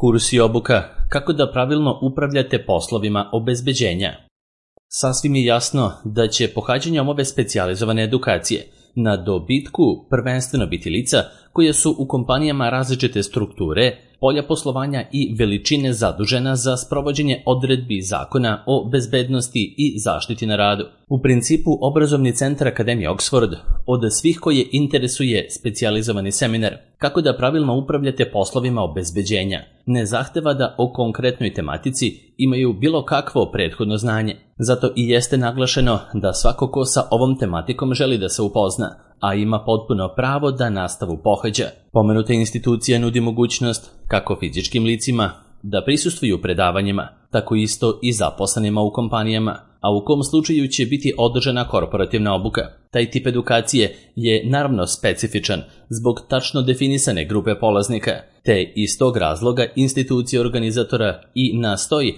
Kurs i obuka kako da pravilno upravljate poslovima obezbeđenja. Sasvim je jasno da će pohađanjem ove specijalizovane edukacije na dobitku prvenstveno biti lica koja su u kompanijama različite strukture, polja poslovanja i veličine zadužena za sprovođenje odredbi zakona o bezbednosti i zaštiti na radu. U principu, obrazovni centar Akademije Oxford od svih koje interesuje specijalizovani seminar kako da pravilno upravljate poslovima obezbeđenja ne zahteva da o konkretnoj tematici imaju bilo kakvo prethodno znanje. Zato i jeste naglašeno da svako ko sa ovom tematikom želi da se upozna, a ima potpuno pravo da nastavu pohađa. Pomenuta institucija nudi mogućnost kako fizičkim licima da prisustvuju predavanjima, tako isto i zaposlenima u kompanijama, a u kom slučaju će biti održana korporativna obuka. Taj tip edukacije je naravno specifičan zbog tačno definisane grupe polaznika, te iz tog razloga institucija organizatora i nastoji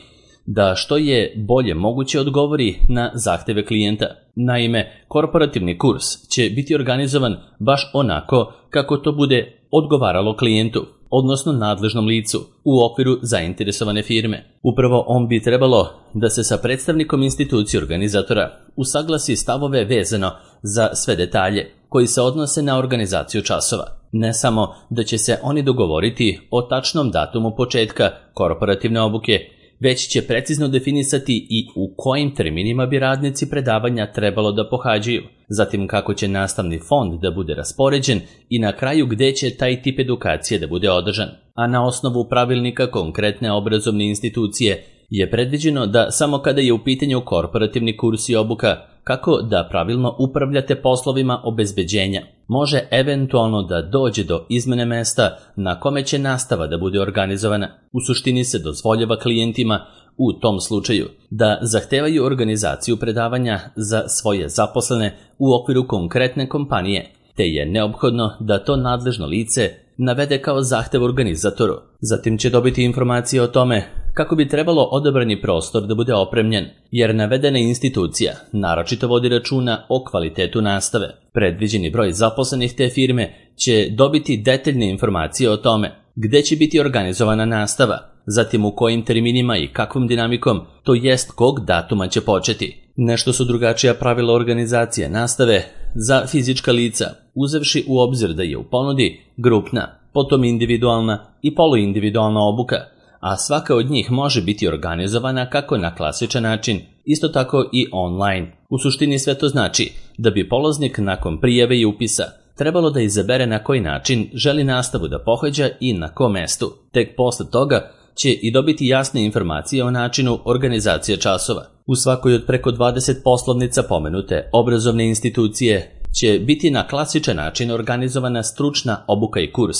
da što je bolje moguće odgovori na zahteve klijenta. Naime, korporativni kurs će biti organizovan baš onako kako to bude odgovaralo klijentu, odnosno nadležnom licu, u okviru zainteresovane firme. Upravo on bi trebalo da se sa predstavnikom institucije organizatora usaglasi stavove vezano za sve detalje koji se odnose na organizaciju časova. Ne samo da će se oni dogovoriti o tačnom datumu početka korporativne obuke, već će precizno definisati i u kojim terminima bi radnici predavanja trebalo da pohađaju, zatim kako će nastavni fond da bude raspoređen i na kraju gde će taj tip edukacije da bude održan. A na osnovu pravilnika konkretne obrazovne institucije je predviđeno da samo kada je u pitanju korporativni kurs i obuka kako da pravilno upravljate poslovima obezbeđenja, može eventualno da dođe do izmene mesta na kome će nastava da bude organizovana. U suštini se dozvoljava klijentima u tom slučaju da zahtevaju organizaciju predavanja za svoje zaposlene u okviru konkretne kompanije, te je neophodno da to nadležno lice navede kao zahtev organizatoru. Zatim će dobiti informacije o tome kako bi trebalo odabrani prostor da bude opremljen, jer navedena institucija naročito vodi računa o kvalitetu nastave. Predviđeni broj zaposlenih te firme će dobiti detaljne informacije o tome gde će biti organizovana nastava, zatim u kojim terminima i kakvom dinamikom, to jest kog datuma će početi. Nešto su drugačija pravila organizacije nastave za fizička lica, uzevši u obzir da je u ponudi grupna, potom individualna i poluindividualna obuka, a svaka od njih može biti organizovana kako na klasičan način, isto tako i online. U suštini sve to znači da bi polaznik nakon prijave i upisa trebalo da izabere na koji način želi nastavu da pohađa i na kom mestu. Tek posle toga će i dobiti jasne informacije o načinu organizacije časova. U svakoj od preko 20 poslovnica pomenute obrazovne institucije će biti na klasičan način organizovana stručna obuka i kurs,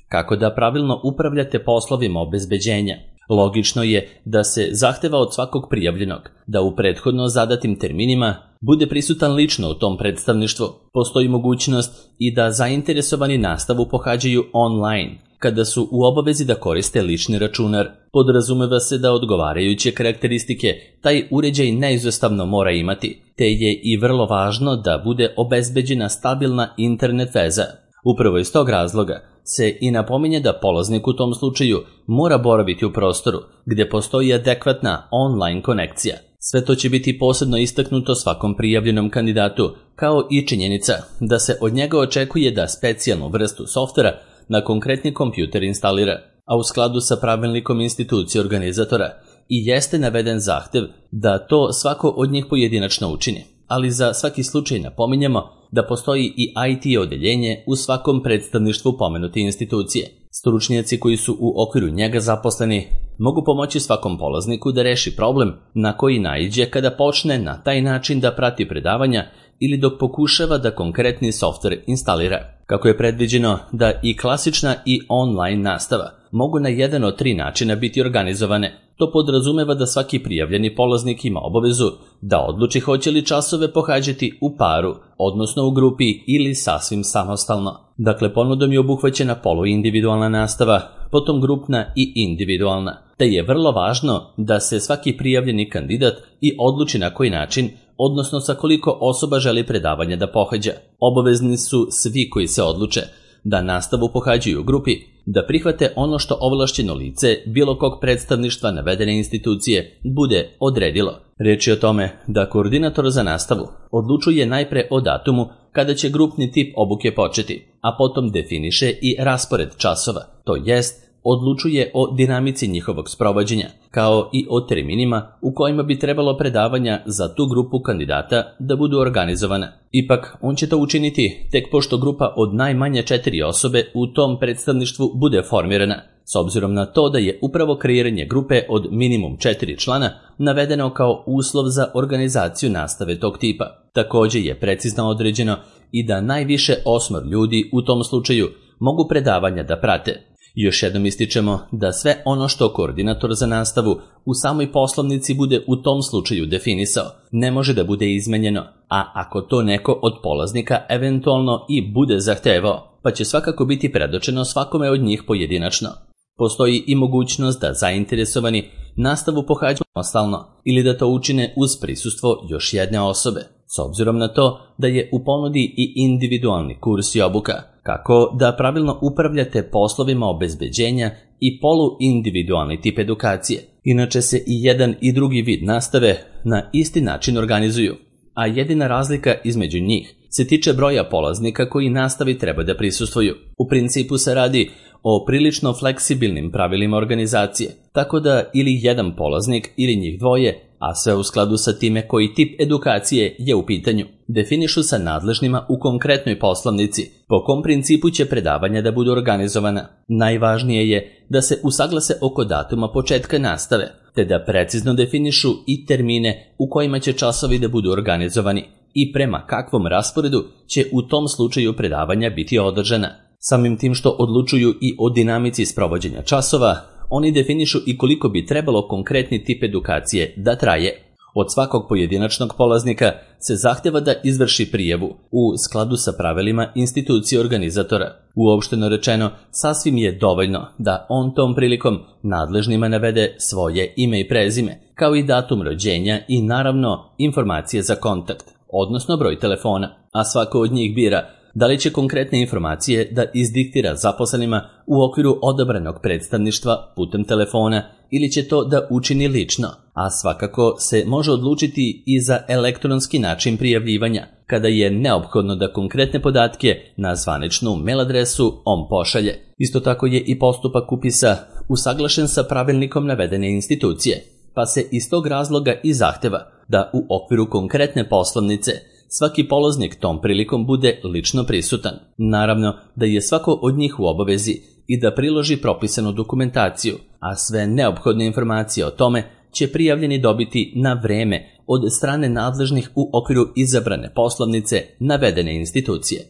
kako da pravilno upravljate poslovima obezbeđenja. Logično je da se zahteva od svakog prijavljenog da u prethodno zadatim terminima bude prisutan lično u tom predstavništvu. Postoji mogućnost i da zainteresovani nastavu pohađaju online, kada su u obavezi da koriste lični računar. Podrazumeva se da odgovarajuće karakteristike taj uređaj neizostavno mora imati, te je i vrlo važno da bude obezbeđena stabilna internet veza. Upravo iz tog razloga se i napominje da polaznik u tom slučaju mora boraviti u prostoru gde postoji adekvatna online konekcija. Sve to će biti posebno istaknuto svakom prijavljenom kandidatu, kao i činjenica da se od njega očekuje da specijalnu vrstu softvera na konkretni kompjuter instalira, a u skladu sa pravilnikom institucije organizatora i jeste naveden zahtev da to svako od njih pojedinačno učini. Ali za svaki slučaj napominjemo da postoji i IT odeljenje u svakom predstavništvu pomenute institucije. Stručnjaci koji su u okviru njega zaposleni mogu pomoći svakom polazniku da reši problem na koji naiđe kada počne na taj način da prati predavanja ili dok pokušava da konkretni softver instalira. Kako je predviđeno da i klasična i online nastava mogu na jedan od 3 načina biti organizovane, to podrazumeva da svaki prijavljeni polaznik ima obavezu da odluči hoće li časove pohađati u paru, odnosno u grupi ili sasvim samostalno. Dakle, ponudom je obuhvaćena poluindividualna nastava, potom grupna i individualna, te je vrlo važno da se svaki prijavljeni kandidat i odluči na koji način, odnosno sa koliko osoba želi predavanje da pohađa. Obavezni su svi koji se odluče da nastavu pohađaju u grupi, da prihvate ono što ovlašćeno lice bilo kog predstavništva navedene institucije bude odredilo. Riječ je o tome da koordinator za nastavu odlučuje najpre o datumu kada će grupni tip obuke početi, a potom definiše i raspored časova, to jest odlučuje o dinamici njihovog sprovođenja, kao i o terminima u kojima bi trebalo predavanja za tu grupu kandidata da budu organizovana. Ipak, on će to učiniti tek pošto grupa od najmanje 4 osobe u tom predstavništvu bude formirana, s obzirom na to da je upravo kreiranje grupe od minimum 4 člana navedeno kao uslov za organizaciju nastave tog tipa. Također je precizno određeno i da najviše 8 ljudi u tom slučaju mogu predavanja da prate. Još jednom ističemo da sve ono što koordinator za nastavu u samoj poslovnici bude u tom slučaju definisao, ne može da bude izmenjeno, a ako to neko od polaznika eventualno i bude zahtevao, pa će svakako biti predočeno svakome od njih pojedinačno. Postoji i mogućnost da zainteresovani nastavu pohađaju samostalno ili da to učine uz prisustvo još jedne osobe, s obzirom na to da je u ponudi i individualni kurs i obuka, kako da pravilno upravljate poslovima obezbeđenja i poluindividualni tip edukacije. Inače se i jedan i drugi vid nastave na isti način organizuju, a jedina razlika između njih se tiče broja polaznika koji nastavi treba da prisustvuju. U principu se radi o prilično fleksibilnim pravilima organizacije, tako da ili jedan polaznik ili njih dvoje, a sve u skladu sa time koji tip edukacije je u pitanju, definišu sa nadležnima u konkretnoj poslovnici po kom principu će predavanja da budu organizovana. Najvažnije je da se usaglase oko datuma početka nastave, te da precizno definišu i termine u kojima će časovi da budu organizovani i prema kakvom rasporedu će u tom slučaju predavanja biti održana. Samim tim što odlučuju i o dinamici sprovođenja časova, oni definišu i koliko bi trebalo konkretni tip edukacije da traje. Od svakog pojedinačnog polaznika se zahteva da izvrši prijavu u skladu sa pravilima institucije organizatora. Uopšteno rečeno, sasvim je dovoljno da on tom prilikom nadležnima navede svoje ime i prezime, kao i datum rođenja i naravno informacije za kontakt, odnosno broj telefona, a svako od njih bira da li će konkretne informacije da izdiktira zaposlenima u okviru odabranog predstavništva putem telefona ili će to da učini lično, a svakako se može odlučiti i za elektronski način prijavljivanja, kada je neophodno da konkretne podatke na zvaničnu mail adresu on pošalje. Isto tako je i postupak upisa usaglašen sa pravilnikom navedene institucije, pa se iz tog razloga i zahteva da u okviru konkretne poslovnice svaki polaznik tom prilikom bude lično prisutan. Naravno da je svako od njih u obavezi i da priloži propisanu dokumentaciju, a sve neophodne informacije o tome će prijavljeni dobiti na vreme od strane nadležnih u okviru izabrane poslovnice navedene institucije.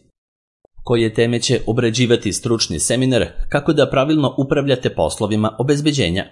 Koje teme će obrađivati stručni seminar kako da pravilno upravljate poslovima obezbeđenja?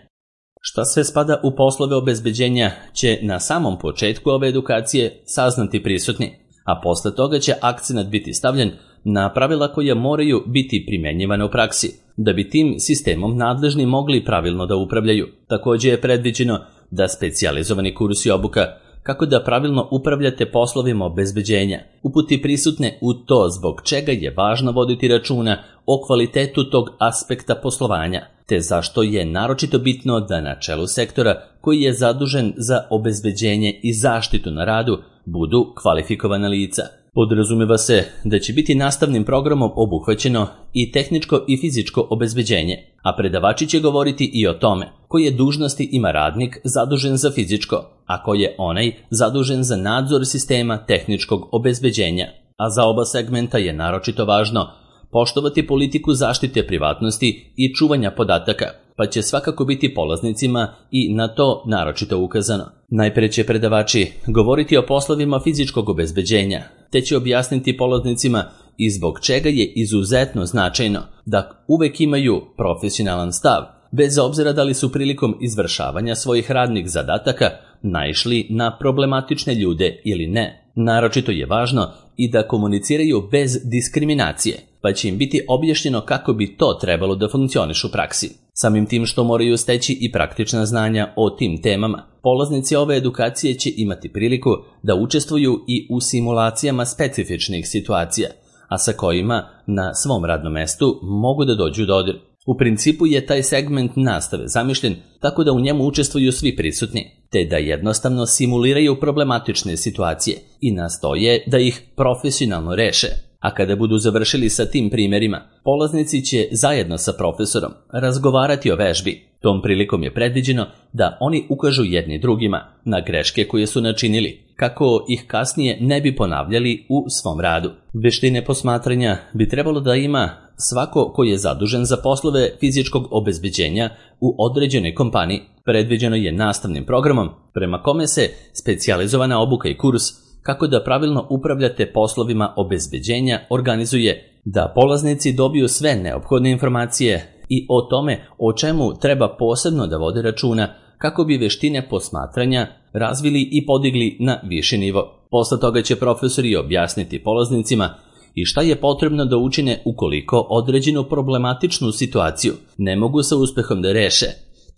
Šta sve spada u poslove obezbeđenja će na samom početku ove edukacije saznati prisutni, a posle toga će akcenat biti stavljen na pravila koja moraju biti primjenjivane u praksi, da bi tim sistemom nadležni mogli pravilno da upravljaju. Također je predviđeno da specijalizovani kurs i obuka kako da pravilno upravljate poslovima obezbeđenja uputi prisutne u to zbog čega je važno voditi računa o kvalitetu tog aspekta poslovanja, te zašto je naročito bitno da na čelu sektora koji je zadužen za obezbeđenje i zaštitu na radu budu kvalifikovana lica. Podrazumeva se da će biti nastavnim programom obuhvaćeno i tehničko i fizičko obezbeđenje, a predavači će govoriti i o tome koje dužnosti ima radnik zadužen za fizičko, a ko je onaj zadužen za nadzor sistema tehničkog obezbeđenja. A za oba segmenta je naročito važno poštovati politiku zaštite privatnosti i čuvanja podataka, pa će svakako biti polaznicima i na to naročito ukazano. Najpre će predavači govoriti o poslovima fizičkog obezbeđenja, te će objasniti polaznicima i zbog čega je izuzetno značajno da uvek imaju profesionalan stav, bez obzira da li su prilikom izvršavanja svojih radnih zadataka naišli na problematične ljude ili ne. Naročito je važno i da komuniciraju bez diskriminacije, pa će im biti objašnjeno kako bi to trebalo da funkcioniše u praksi. Samim tim što moraju steći i praktična znanja o tim temama, polaznici ove edukacije će imati priliku da učestvuju i u simulacijama specifičnih situacija, a sa kojima na svom radnom mestu mogu da dođu u dodir. U principu je taj segment nastave zamišljen tako da u njemu učestvuju svi prisutni, te da jednostavno simuliraju problematične situacije i nastoje da ih profesionalno reše. A kada budu završili sa tim primjerima, polaznici će zajedno sa profesorom razgovarati o vežbi. Tom prilikom je predviđeno da oni ukažu jedni drugima na greške koje su načinili, kako ih kasnije ne bi ponavljali u svom radu. Veštine posmatranja bi trebalo da ima svako ko je zadužen za poslove fizičkog obezbeđenja u određenoj kompaniji. Predviđeno je nastavnim programom prema kome se specijalizovana obuka i kurs kako da pravilno upravljate poslovima obezbeđenja organizuje, da polaznici dobiju sve neophodne informacije i o tome o čemu treba posebno da vode računa kako bi veštine posmatranja razvili i podigli na viši nivo. Posle toga će profesori objasniti polaznicima i šta je potrebno da učine ukoliko određenu problematičnu situaciju ne mogu sa uspehom da reše,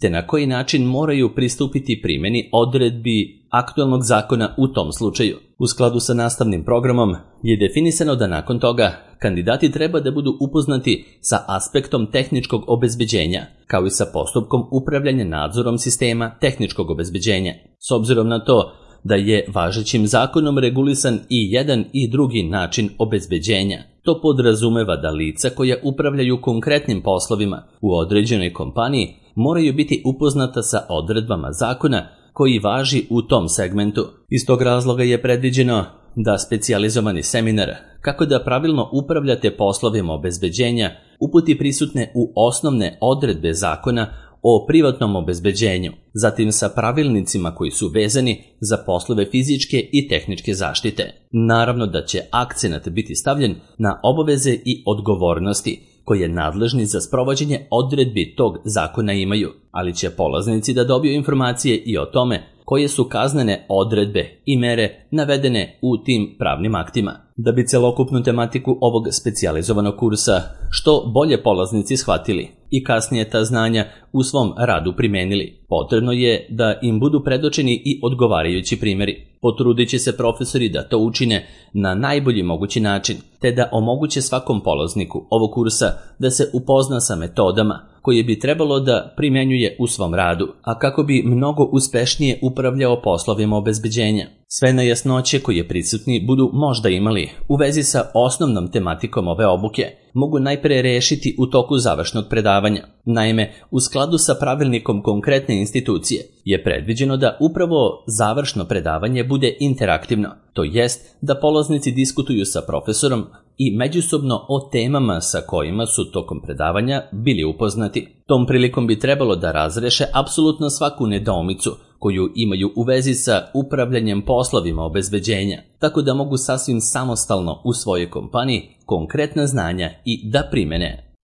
te na koji način moraju pristupiti primjeni odredbi aktualnog zakona u tom slučaju. U skladu sa nastavnim programom je definisano da nakon toga kandidati treba da budu upoznati sa aspektom tehničkog obezbeđenja, kao i sa postupkom upravljanja nadzorom sistema tehničkog obezbeđenja. S obzirom na to da je važećim zakonom regulisan i jedan i drugi način obezbeđenja, to podrazumeva da lica koja upravljaju konkretnim poslovima u određenoj kompaniji moraju biti upoznata sa odredbama zakona koji važi u tom segmentu. Iz tog razloga je predviđeno da specijalizovani seminar kako da pravilno upravljate poslovima obezbeđenja uputi prisutne u osnovne odredbe zakona o privatnom obezbeđenju, zatim sa pravilnicima koji su vezani za poslove fizičke i tehničke zaštite. Naravno da će akcenat biti stavljen na obaveze i odgovornosti koje nadležni za sprovođenje odredbi tog zakona imaju, ali će polaznici da dobiju informacije i o tome koje su kaznene odredbe i mere navedene u tim pravnim aktima. Da bi celokupnu tematiku ovog specijalizovanog kursa što bolje polaznici shvatili i kasnije ta znanja u svom radu primenili, potrebno je da im budu predočeni i odgovarajući primjeri. Potrudit će se profesori da to učine na najbolji mogući način, te da omoguće svakom polazniku ovog kursa da se upozna sa metodama koje bi trebalo da primenjuje u svom radu, a kako bi mnogo uspešnije upravljao poslovima obezbeđenja. Sve nejasnoće koje prisutni budu možda imali u vezi sa osnovnom tematikom ove obuke mogu najpre rešiti u toku završnog predavanja. Naime, u skladu sa pravilnikom konkretne institucije je predviđeno da upravo završno predavanje bude interaktivno, to jest da polaznici diskutuju sa profesorom i međusobno o temama sa kojima su tokom predavanja bili upoznati. Tom prilikom bi trebalo da razreše apsolutno svaku nedoumicu koju imaju u vezi sa upravljanjem poslovima obezbeđenja, tako da mogu sasvim samostalno u svojoj kompaniji konkretna znanja i da primene.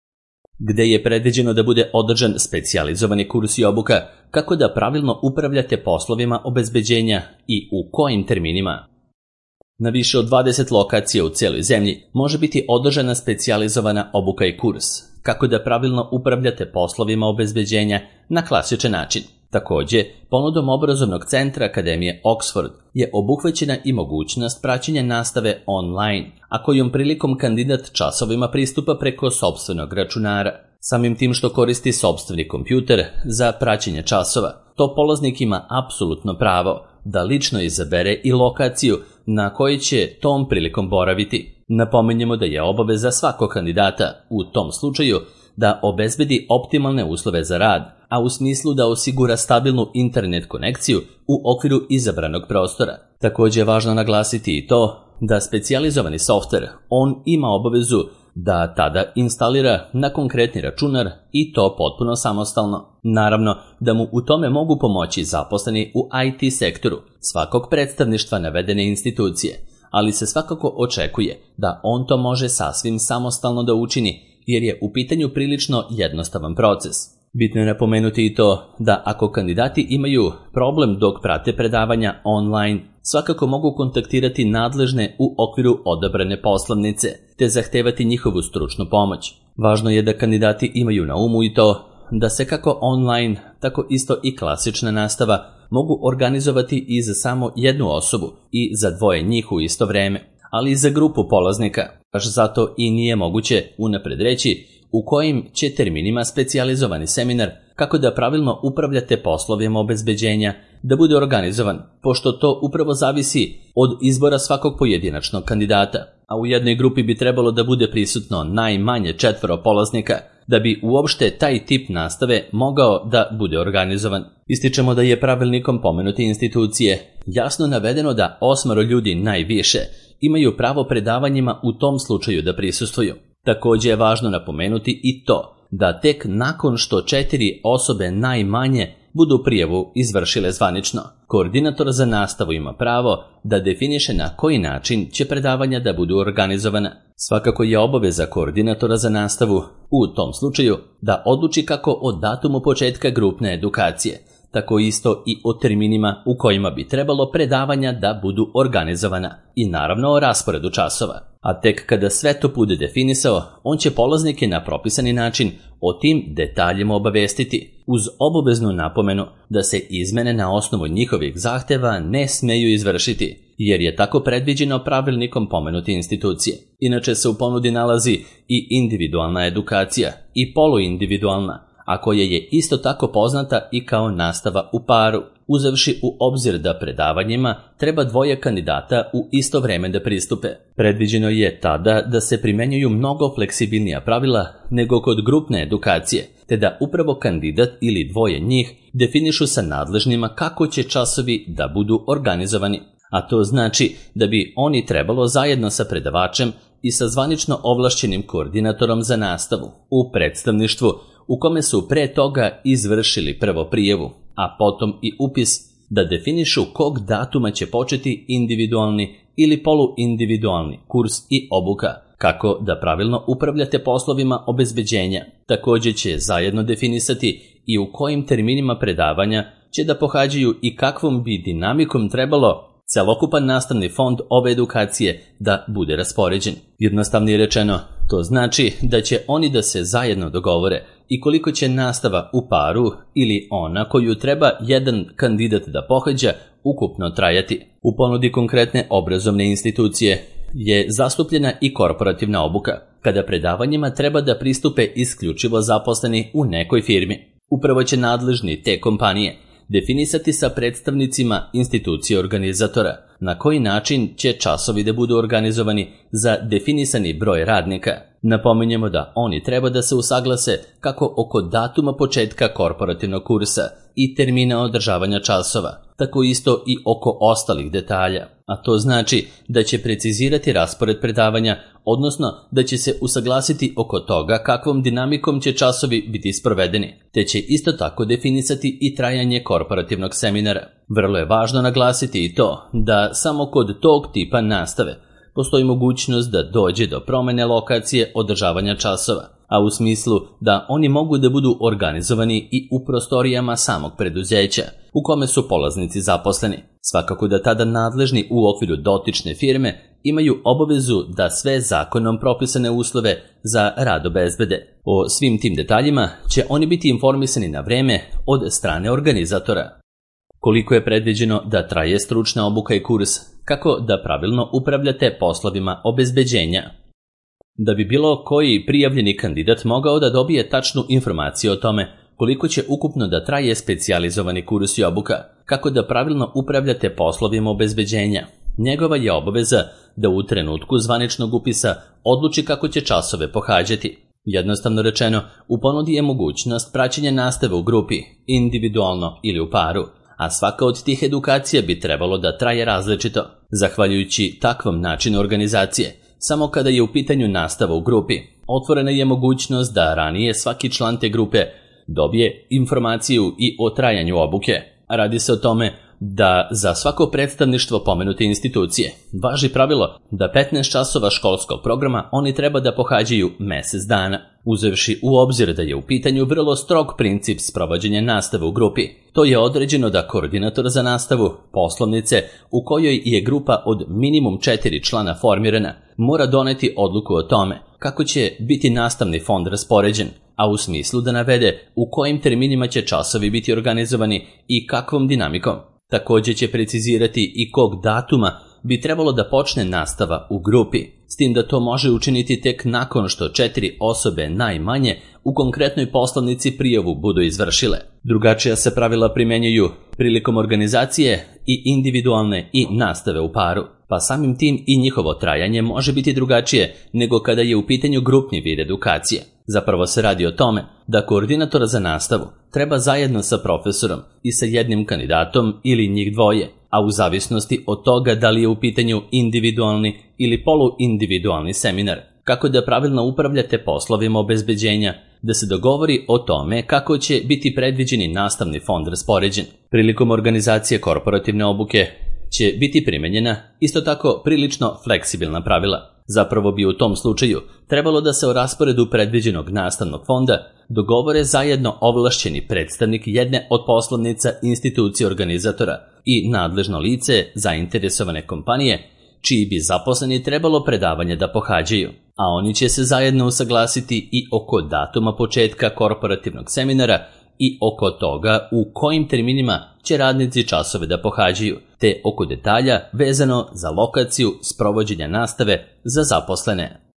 Gde je predviđeno da bude održan specijalizovani kurs i obuka kako da pravilno upravljate poslovima obezbeđenja i u kojim terminima. Na više od 20 lokacija u cijeloj zemlji može biti održana specijalizovana obuka i kurs kako da pravilno upravljate poslovima obezbeđenja na klasičan način. Također, ponudom obrazovnog centra Akademije Oxford je obuhvaćena i mogućnost praćenja nastave online, a kojom prilikom kandidat časovima pristupa preko sopstvenog računara. Samim tim što koristi sopstveni kompjuter za praćenje časova, to polaznik ima apsolutno pravo da lično izabere i lokaciju na kojoj će tom prilikom boraviti. Napominjemo da je obaveza svakog kandidata u tom slučaju da obezbedi optimalne uslove za rad, a u smislu da osigura stabilnu internet konekciju u okviru izabranog prostora. Također je važno naglasiti i to da specijalizovani softver on ima obavezu da tada instalira na konkretni računar i to potpuno samostalno. Naravno da mu u tome mogu pomoći zaposleni u IT sektoru svakog predstavništva navedene institucije, ali se svakako očekuje da on to može sasvim samostalno da učini jer je u pitanju prilično jednostavan proces. Bitno je napomenuti i to da ako kandidati imaju problem dok prate predavanja online, svakako mogu kontaktirati nadležne u okviru odabrane poslovnice te zahtevati njihovu stručnu pomoć. Važno je da kandidati imaju na umu i to da se kako online, tako isto i klasična nastava mogu organizovati i za samo jednu osobu i za dvoje njih u isto vreme, ali i za grupu polaznika. Baš zato i nije moguće unapred reći u kojim će terminima specijalizovani seminar kako da pravilno upravljate poslovima obezbeđenja da bude organizovan, pošto to upravo zavisi od izbora svakog pojedinačnog kandidata, a u jednoj grupi bi trebalo da bude prisutno najmanje 4 polaznika da bi uopšte taj tip nastave mogao da bude organizovan. Ističemo da je pravilnikom pomenute institucije jasno navedeno da 8 ljudi najviše imaju pravo predavanjima u tom slučaju da prisustvuju. Također je važno napomenuti i to da tek nakon što 4 osobe najmanje budu prijavu izvršile zvanično, koordinator za nastavu ima pravo da definiše na koji način će predavanja da budu organizovana. Svakako je obaveza koordinatora za nastavu u tom slučaju da odluči kako o datumu početka grupne edukacije, tako isto i o terminima u kojima bi trebalo predavanja da budu organizovana i naravno o rasporedu časova. A tek kada sve to bude definisao, on će polaznike na propisani način o tim detaljima obavestiti, uz obaveznu napomenu da se izmene na osnovu njihovih zahteva ne smeju izvršiti, jer je tako predviđeno pravilnikom pomenute institucije. Inače se u ponudi nalazi i individualna edukacija i poluindividualna, a koja je isto tako poznata i kao nastava u paru, uzevši u obzir da predavanjima treba 2 kandidata u isto vreme da pristupe. Predviđeno je tada da se primenjuju mnogo fleksibilnija pravila nego kod grupne edukacije, te da upravo kandidat ili 2 njih definišu sa nadležnima kako će časovi da budu organizovani, a to znači da bi oni trebalo zajedno sa predavačem i sa zvanično ovlašćenim koordinatorom za nastavu u predstavništvu u kome su pre toga izvršili prvo prijavu, a potom i upis, da definišu kog datuma će početi individualni ili poluindividualni kurs i obuka, kako da pravilno upravljate poslovima obezbeđenja. Također će zajedno definisati i u kojim terminima predavanja će da pohađaju i kakvom bi dinamikom trebalo celokupan nastavni fond ove edukacije da bude raspoređen. Jednostavnije rečeno, to znači da će oni da se zajedno dogovore i koliko će nastava u paru ili ona koju treba jedan kandidat da pohađa ukupno trajati. U ponudi konkretne obrazovne institucije je zastupljena i korporativna obuka, kada predavanjima treba da pristupe isključivo zaposleni u nekoj firmi. Upravo će nadležni te kompanije definisati sa predstavnicima institucije organizatora na koji način će časovi da budu organizovani za definisani broj radnika. Napominjemo da oni treba da se usaglase kako oko datuma početka korporativnog kursa i termina održavanja časova, tako isto i oko ostalih detalja, a to znači da će precizirati raspored predavanja, odnosno da će se usaglasiti oko toga kakvom dinamikom će časovi biti sprovedeni, te će isto tako definisati i trajanje korporativnog seminara. Vrlo je važno naglasiti i to da samo kod tog tipa nastave postoji mogućnost da dođe do promene lokacije održavanja časova, a u smislu da oni mogu da budu organizovani i u prostorijama samog preduzeća u kome su polaznici zaposleni. Svakako da tada nadležni u okviru dotične firme imaju obavezu da sve zakonom propisane uslove za rad obezbede. O svim tim detaljima će oni biti informisani na vreme od strane organizatora. Koliko je predviđeno da traje stručna obuka i kurs, kako da pravilno upravljate poslovima obezbeđenja. Da bi bilo koji prijavljeni kandidat mogao da dobije tačnu informaciju o tome koliko će ukupno da traje specijalizovani kurs i obuka, kako da pravilno upravljate poslovima obezbeđenja, njegova je obaveza da u trenutku zvaničnog upisa odluči kako će časove pohađati. Jednostavno rečeno, u ponudi je mogućnost praćenja nastave u grupi, individualno ili u paru, a svaka od tih edukacija bi trebalo da traje različito. Zahvaljujući takvom načinu organizacije, samo kada je u pitanju nastava u grupi, otvorena je mogućnost da ranije svaki član te grupe dobije informaciju i o trajanju obuke. Radi se o tome da za svako predstavništvo pomenute institucije važi pravilo da 15 časova školskog programa oni treba da pohađaju mjesec dana, uzevši u obzir da je u pitanju vrlo strog princip sprovođenja nastave u grupi. To je određeno da koordinator za nastavu poslovnice u kojoj je grupa od minimum 4 člana formirana mora doneti odluku o tome kako će biti nastavni fond raspoređen, a u smislu da navede u kojim terminima će časovi biti organizovani i kakvom dinamikom. Također će precizirati i kog datuma bi trebalo da počne nastava u grupi, s tim da to može učiniti tek nakon što 4 osobe najmanje u konkretnoj poslovnici prijavu budu izvršile. Drugačija se pravila primenjuju prilikom organizacije i individualne i nastave u paru, pa samim tim i njihovo trajanje može biti drugačije nego kada je u pitanju grupni vid edukacije. Zapravo se radi o tome da koordinator za nastavu treba zajedno sa profesorom i sa jednim kandidatom ili njih dvoje, a u zavisnosti od toga da li je u pitanju individualni ili poluindividualni seminar, kako da pravilno upravljate poslovima obezbeđenja, da se dogovori o tome kako će biti predviđeni nastavni fond raspoređen. Prilikom organizacije korporativne obuke će biti primenjena isto tako prilično fleksibilna pravila. Zapravo bi u tom slučaju trebalo da se o rasporedu predviđenog nastavnog fonda dogovore zajedno ovlašćeni predstavnik jedne od poslovnica institucije organizatora i nadležno lice zainteresovane kompanije, čiji bi zaposleni trebalo predavanje da pohađaju, a oni će se zajedno usaglasiti i oko datuma početka korporativnog seminara i oko toga u kojim terminima će radnici časove da pohađaju, te oko detalja vezano za lokaciju sprovođenja nastave za zaposlene.